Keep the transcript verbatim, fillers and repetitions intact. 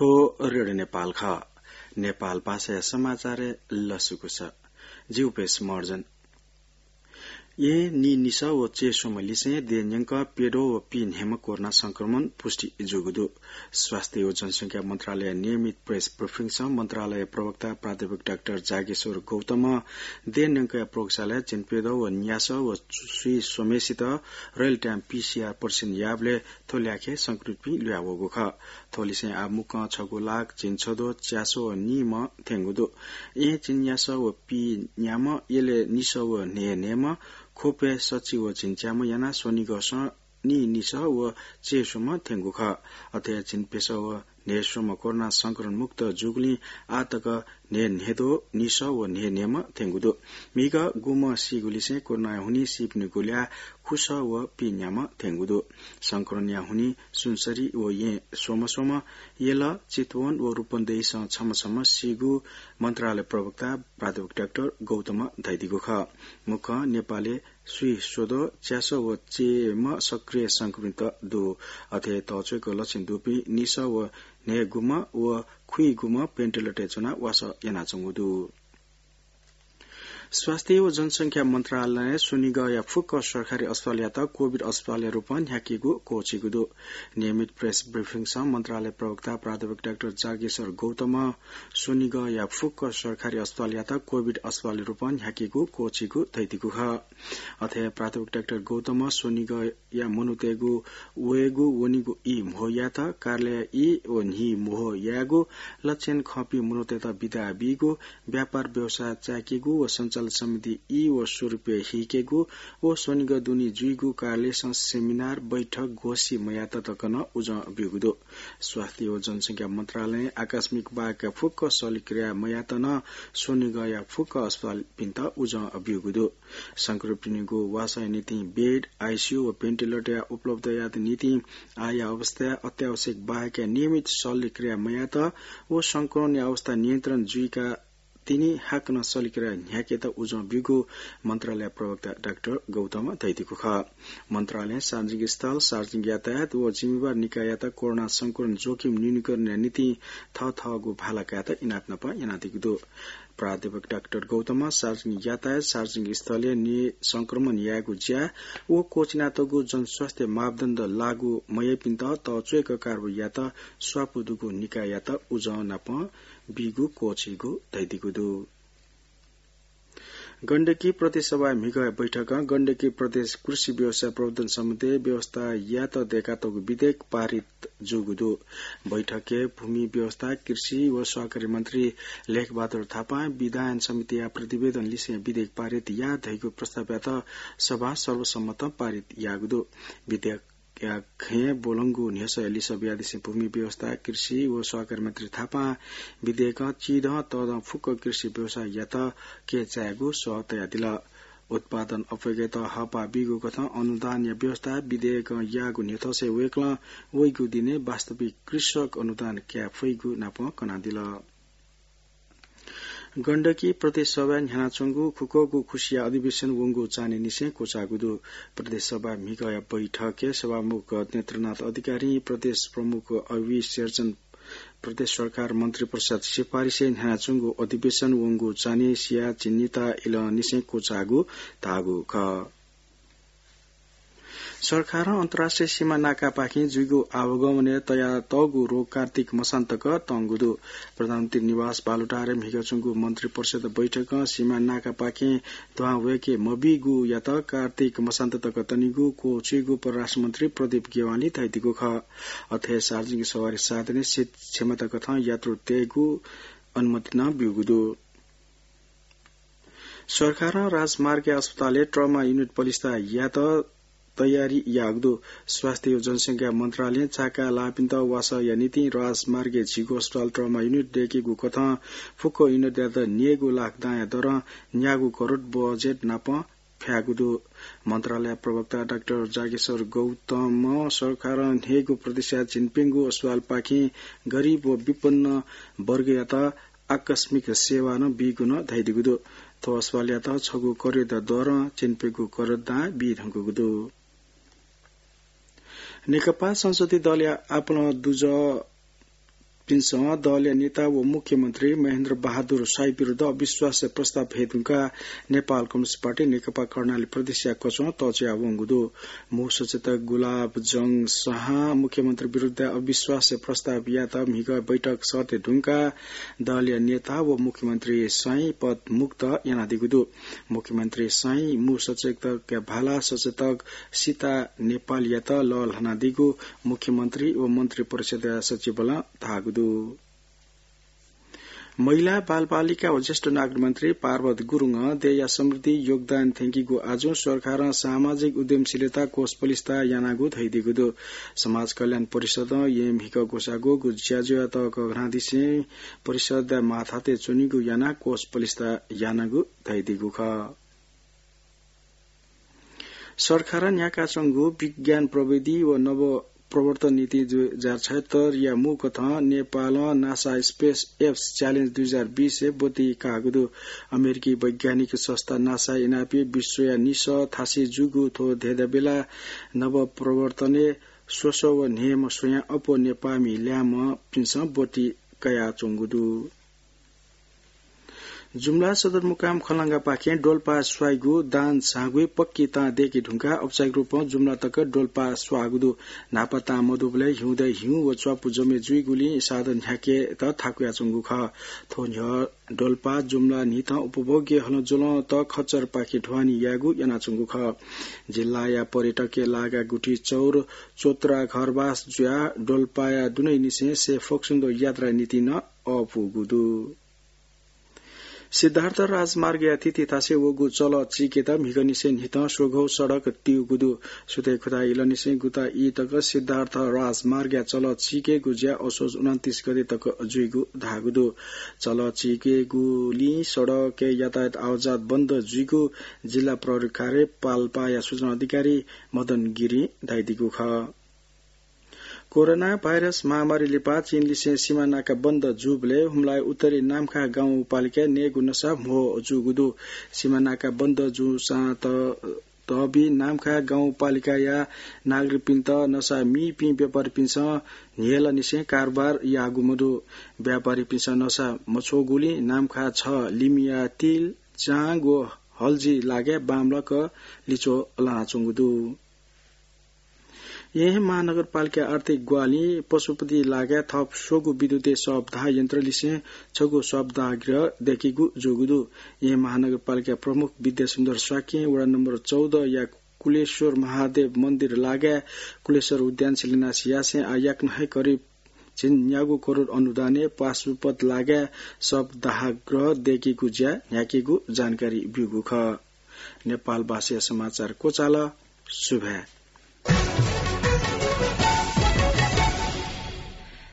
थ्व रेडियो नेपाल खः। नेपाल भाषाया समाचारय् लसकुस। जि उपेश महर्जन। येँ नीनिसः व चय्स्वम्ह लिसें देय् न्यंक प्यद्वः व पीन्ह्यम्ह कोरोना संक्रमण पुष्टि जूगु दु। स्वास्थ्य व जनसंख्या मन्त्रालयया नियमित प्रेस ब्रिफिङसं मन्त्रालय प्रवक्ता प्राध्यापक डाक्टर जागेश्वर गौतमं देय् न्यंकया प्रयोगशालाय् झिंप्यद्वः व न्यासः व स्वीस्वम्हेसित रियल टाइम पीसीआर परीक्षण याःबलय् थ्व ल्याखय् संक्रमितपिं ल्हुयावःगु खः। थ्व लिसें आः मुक्कं छगू लाख झिंछद्वः च्यासः व नीम्ह थ्यंगु दु। येँ झिंन्यासः व पीन्याम्ह, यलय् निसः व न्हय्न्हय्म्ह, ख्वपय् सच्छि व झिंच्याम्ह यानाः स्वनिगःसं नीनिसः व चय्स्वम्ह थ्यंगु खः। अथे झिंप्यसः व न्हय्स्वम्ह कोरोना संक्रमण मुक्त जूगुलिं आः तक न्हय्न्हय्द्वः, निसः व न्हय्न्हय्म्ह थ्यंगु दु। म्हिगः गुम्ह सीगु लिसें कोरोनाया हुनिं सीपिनिगु ल्याः खुसः व पीन्याम्ह थ्यंगु दु। संक्रमणया हुनिं सुनसरी व येँ स्वम्ह स्वम्ह, यल, चितवन व रूपन्देहीसं छम्ह छम्ह सीगु मन्त्रालय प्रवक्ता प्राध्यापक डाक्टर गौतमं धयादीगु खः। मुक्कं नेपालय् स्वीस्वद्वः च्यासः व चय्म्ह सक्रिय संक्रमित दु। अथे तःच्वय्क लक्षण दुपिं निसः व न्हय्गुम्ह व खुइगुम्ह भेन्टिलेटरय् च्वनाः वासः यानाच्वंगु दु। स्वास्थ्य व जनसंख्या मन्त्रालयं स्वनिगःया फुक्क सरकारी अस्पतालयात कोभिड अस्पतालया रूपं न्ह्याकेगु क्वःछीगु दु। नियमित प्रेस ब्रिफिङसं मन्त्रालय प्रवक्ता प्राध्यापक डाक्टर जागेश्वर गौतमं स्वनिगःया फुक्क सरकारी अस्पतालयात कोभिड अस्पतालया रूपं न्ह्याकेगु क्वःछीगु धयादीगु खः। अथे प्राध्यापक डाक्टर गौतमं स्वनिगः या मनूतय्गु वयेगु वनेगु ई म्हो यायेत, कार्यालयया ई व न्हि म्हो यायेगु, लक्षण खंपिं मनूतय्त बिदा बीगु, व्यापार व्यवसाय चाय्केगु व सञ्चालन सम्बन्धी ई व स्वरूपय् हीकेगु व स्वनिगः दुने जुइगु कार्यालयसं सेमिनार, बैठक, गोष्ठी मयायेत तक नं उजं ब्यूगु दु। स्वास्थ्य व जनसंख्या मन्त्रालयं आकस्मिक बाहेक फुक्क शल्यक्रिया मयायेत नं स्वनिगःया फुक्क अस्पतालपिन्त उजं ब्यूगु दु। संक्रमितपिनिगु वासःया निंतिं बेड, आइसीयू व भेन्टिलेटरया उपलब्धताया निंतिं आःया अवस्थाय् अत्यावश्यक बाहेकया नियमित शल्यक्रिया मयायेत व संक्रमणया अवस्था नियन्त्रण जुइका तिनि हाकनं शल्यक्रिया न्ह्याकेत उजं ब्यूगु मन्त्रालय प्रवक्ता डाक्टर गौतमं धयादीगु खः। मन्त्रालयं सार्वजनिक स्थल, सार्वजनिक यातायात व जिम्मेवार निकाययात कोरोना संक्रमण जोखिम न्यूनीकरणया निंतिं थःथःगु भाला कायेत इनाप नापं यानादीगु दु। प्राध्यापक डाक्टर गौतमं सार्वजनिक यातायात, सार्वजनिक स्थलय् नि-, संक्रमण यायेगु ज्या व क्वःछिनातःगु जनस्वास्थ्य मापदण्ड लागू मयाइपिन्त तःच्वय्क कारवाही यायेत स्वापू दुगु निकाययात उजं नापं बीगु क्वःछीगु धयादीगु दु। गण्डकी प्रदेश सभाया म्हिगःया बैठकं गण्डकी प्रदेश कृषि व्यवसाय प्रवर्धन सम्बन्धी व्यवस्था यायेत दय्कातःगु विधेयक पारित जूगु दु। बैठकय् भूमि व्यवस्था, कृषि व सहकारी मन्त्री लेखबहादुर थापां विधायन समितिया प्रतिवेदन लिसें विधेयक पारित या धइगु प्रस्तावयात सभां सर्वसम्मतं पारित याःगु दु। विधेयकया खँय् ब्वलंगु न्ह्यसःया लिसः बियादिसें भूमि व्यवस्था, कृषि व सहकारी मन्त्री थापां विधेयकं चिधं तःधं फुक्क कृषि व्यवसाययात कय् चायेगु सः तयादिल। उत्पादन अप्वय्केत हःपाः बीगु कथं अनुदानया व्यवस्था विधेयकं याःगु न्ह्यथंसे वय्कलं वइगु दिनय् वास्तविक कृषक अनुदान काये फइगु नापं कनादिल। गण्डकी प्रदेश सभाय् न्ह्यानाच्वंगु खुक्वःगु खुसिया अधिवेशन वंगु चान्हय्निसें क्वचाःगु दु। प्रदेश सभा म्हिगःया बैठकय् सभामुख नेत्रनाथ अधिकारीं प्रदेश प्रमुख अवि शेरचन प्रदेश सरकार मन्त्री परिषद सिफारिसय् न्ह्यानाच्वंगु अधिवेशन वंगु चान्हय् सिया झिंनिता इलंनिसें क्वचाःगु धाःगु खः। सरकारं अन्तर्राष्ट्रिय सीमा नाकापाखें जुइगु आवागमनय् तयातःगु रोक कार्तिक मसान्तक तंगु दु। प्रधानमन्त्री निवास बालुटारय् म्हिगः च्वंगु मन्त्री परिषद बैठकं सीमा नाकापाखें दुहां वय्के मबीगुयात कार्तिक मसान्त तक तनीगु क्वःछीगु परराष्ट्र मन्त्री प्रदीप गेवालीं धयादीगु खः। अथे सार्वजनिक सवारी साधनय् सीट क्षमता कथं यात्रु तयेगु अनुमति नं ब्यूगु दु। सरकारं राजमार्गया अस्पतालय् ट्रमा युनिट पलिस्था यायेत तयारी याःगु दु। स्वास्थ्य व जनसंख्या मन्त्रालयं चाका लाःपिन्त वासःया निंतिं राजमार्गय् झीगु अस्पताल ट्रमा युनिट दय्केगु कथं फुक्क युनिटयात न्यय्गू लाख दांया दरं न्यागू करोड बजेट नाप फ्याःगु दु। मन्त्रालय प्रवक्ता डाक्टर जागेश्वर गौतमं सरकारं न्हय्गू प्रतिशत झिंप्यंगू अस्पतालपाखें गरिब व विपन्न वर्गयात आकस्मिक सेवा नं बीगु नं धयादीगु दु। थ्व अस्पतालयात छगू करोड दरं झिंप्यंगू करोड दां बी धुंकूगु दु। नेकपा संसदीय दलया आपालं दुजः पिन्सं दलया नेता व मुख्यमन्त्री महेन्द्र बहादुर शाही विरुद्ध अविश्वास प्रस्ताव हये धुंकाः नेपाल कम्युनिस्ट पार्टी नेकपा कर्णाली प्रदेशया कचं तःज्यावंगु दु। मू सचेतक गुलाब जंग शाहं मुख्यमन्त्री विरुद्ध अविश्वास प्रस्ताव यात म्हिगः बैठक सःते धुंकाः दलया नेता व मुख्यमन्त्री शाही पद मुक्त यानादीगु दु। मुख्यमन्त्री शाही मू सचेतकया भाला सचेतक सीता नेपालयात लःल्हानादीगु मुख्यमन्त्री व मन्त्री परिषदया सचिवलं धाःगु दु। महिला, बालबालिका व ज्येष्ठ नागरिक मन्त्री पार्वत गुरुङं देय्‌या समृद्धि योगदान थ्यंकीगु आजुं सरकारं सामाजिक उद्यमशीलता कोष पलिस्था यानागु धयादीगु दु। समाज कल्याण परिषदं येँ म्हिगः ग्वसाः ग्वःगु ज्याझ्वःयात कःघानादिसें परिषदया माथातय् च्वनीगु यानाः कोष पलिस्था यानागु धयादीगु खः। सरकारं न्ह्याकाच्वंगु विज्ञान प्रविधि व नव प्रवर्तन नीति दुई हजार छयहत्तरया मू कथं नेपालं नासा स्पेस एप्स च्यालेन्ज दुई हजार बीसय् ब्वति काःगु दु। अमेरिकी वैज्ञानिक संस्था नासा इनापय् विश्वया निसः थासय् जूगु थ्व धेदा बेला नव प्रवर्तनय् स्वसः व न्हय्‌म्ह स्वयां अप्वः नेपाःमि ल्याय्‌म्हपिन्सं ब्वति कयाच्वंगु दु। जुम्ला सदरमुकाम खलंगापाखें डोल्पा स्वाइगु दान झाँगुइ पक्की तां दय्‌के धुंकाः औपचारिक रूपं जुम्ला तक डोल्पा स्वाःगु दु। न्हापा तां मदुबलय् हिउँदय् हिउँ व च्वापु जमे जुइगुलिं साधन न्ह्याकेत थाकुयाच्वंगु खः। थ्व न्ह्यः डोल्पा जुम्ला न्हिथं उपभोग्य हलंज्वलंत खच्चरपाखे ढुवानी यायेगु यानाच्वंगु खः। जिल्लाया पर्यटकया लागा गुठी चौर चोत्रा घरबास जुयाः डोल्पाया दुनैनिसें सय् फ्वक्सिन्द यात्रा नीतिं नं अःपूगु दु। सिद्धार्थ राजमार्गया थितिथासय् वःगु चलः चीकेत म्हिगःनिसें न्हिथं स्वघौ सडक तीगु दु। सुथय् खुथाय् इलंनिसें गुता ई तक सिद्धार्थ राजमार्गया चलः चीकेगु ज्या असोज उनन्तीस गते तक जुइगु धाःगु दु। चलः चीकेगुलिं सडकय् यातायात आवतजावत बन्द जुइगु जिल्ला प्रहरी कार्यालय पाल्पाया सूचना अधिकारी मदन गिरिं धयादीगु खः। कोरोना भाइरस महामारी लिपा चीनलिसें सीमा नाका बन्द जूबलय् हुम्लाया उत्तरे नाम्खा गाउँपालिकाय् नयेगु नसा म्हो जूगु दु। सीमा नाका बन्द जूसां त-, तःबी नाम्खा गाउँपालिकाया नागरिकपिन्त नसा मीपिं व्यापारीपिन्सं न्ह्यलंनिसें कारोबार याःगु मदु। व्यापारीपिन्सं नसा मछ्वःगुलिं नाम्खा छ लिमिया तिल, चांग व हल्जी लागाय् बांमलाक लिच्वः लानाच्वंगु दु। येँ महानगरपालिका आर्थिक ग्वाहालिं पशुपति लागाय् थप स्वगु विद्युतीय शवदाह यन्त्रलिसें छगू शवदाह गृह दय्‌केगु जूगु दु। येँ महानगरपालिका प्रमुख विद्यासुन्दर शाक्यं वडा नम्बर चौध या कुलेश्वर महादेव मन्दिर लागाय् कुलेश्वर उद्यान शिलान्यास यासें आः याकनं हे करिब झिंन्याः करोड अनुदानय् पशुपति लागाय् शवदाह गृह दय्‌केगु ज्या न्ह्याकेगु जानकारी ब्यूगु खः। नेपाल भाषाया समाचार क्वचाल। सुभाय्।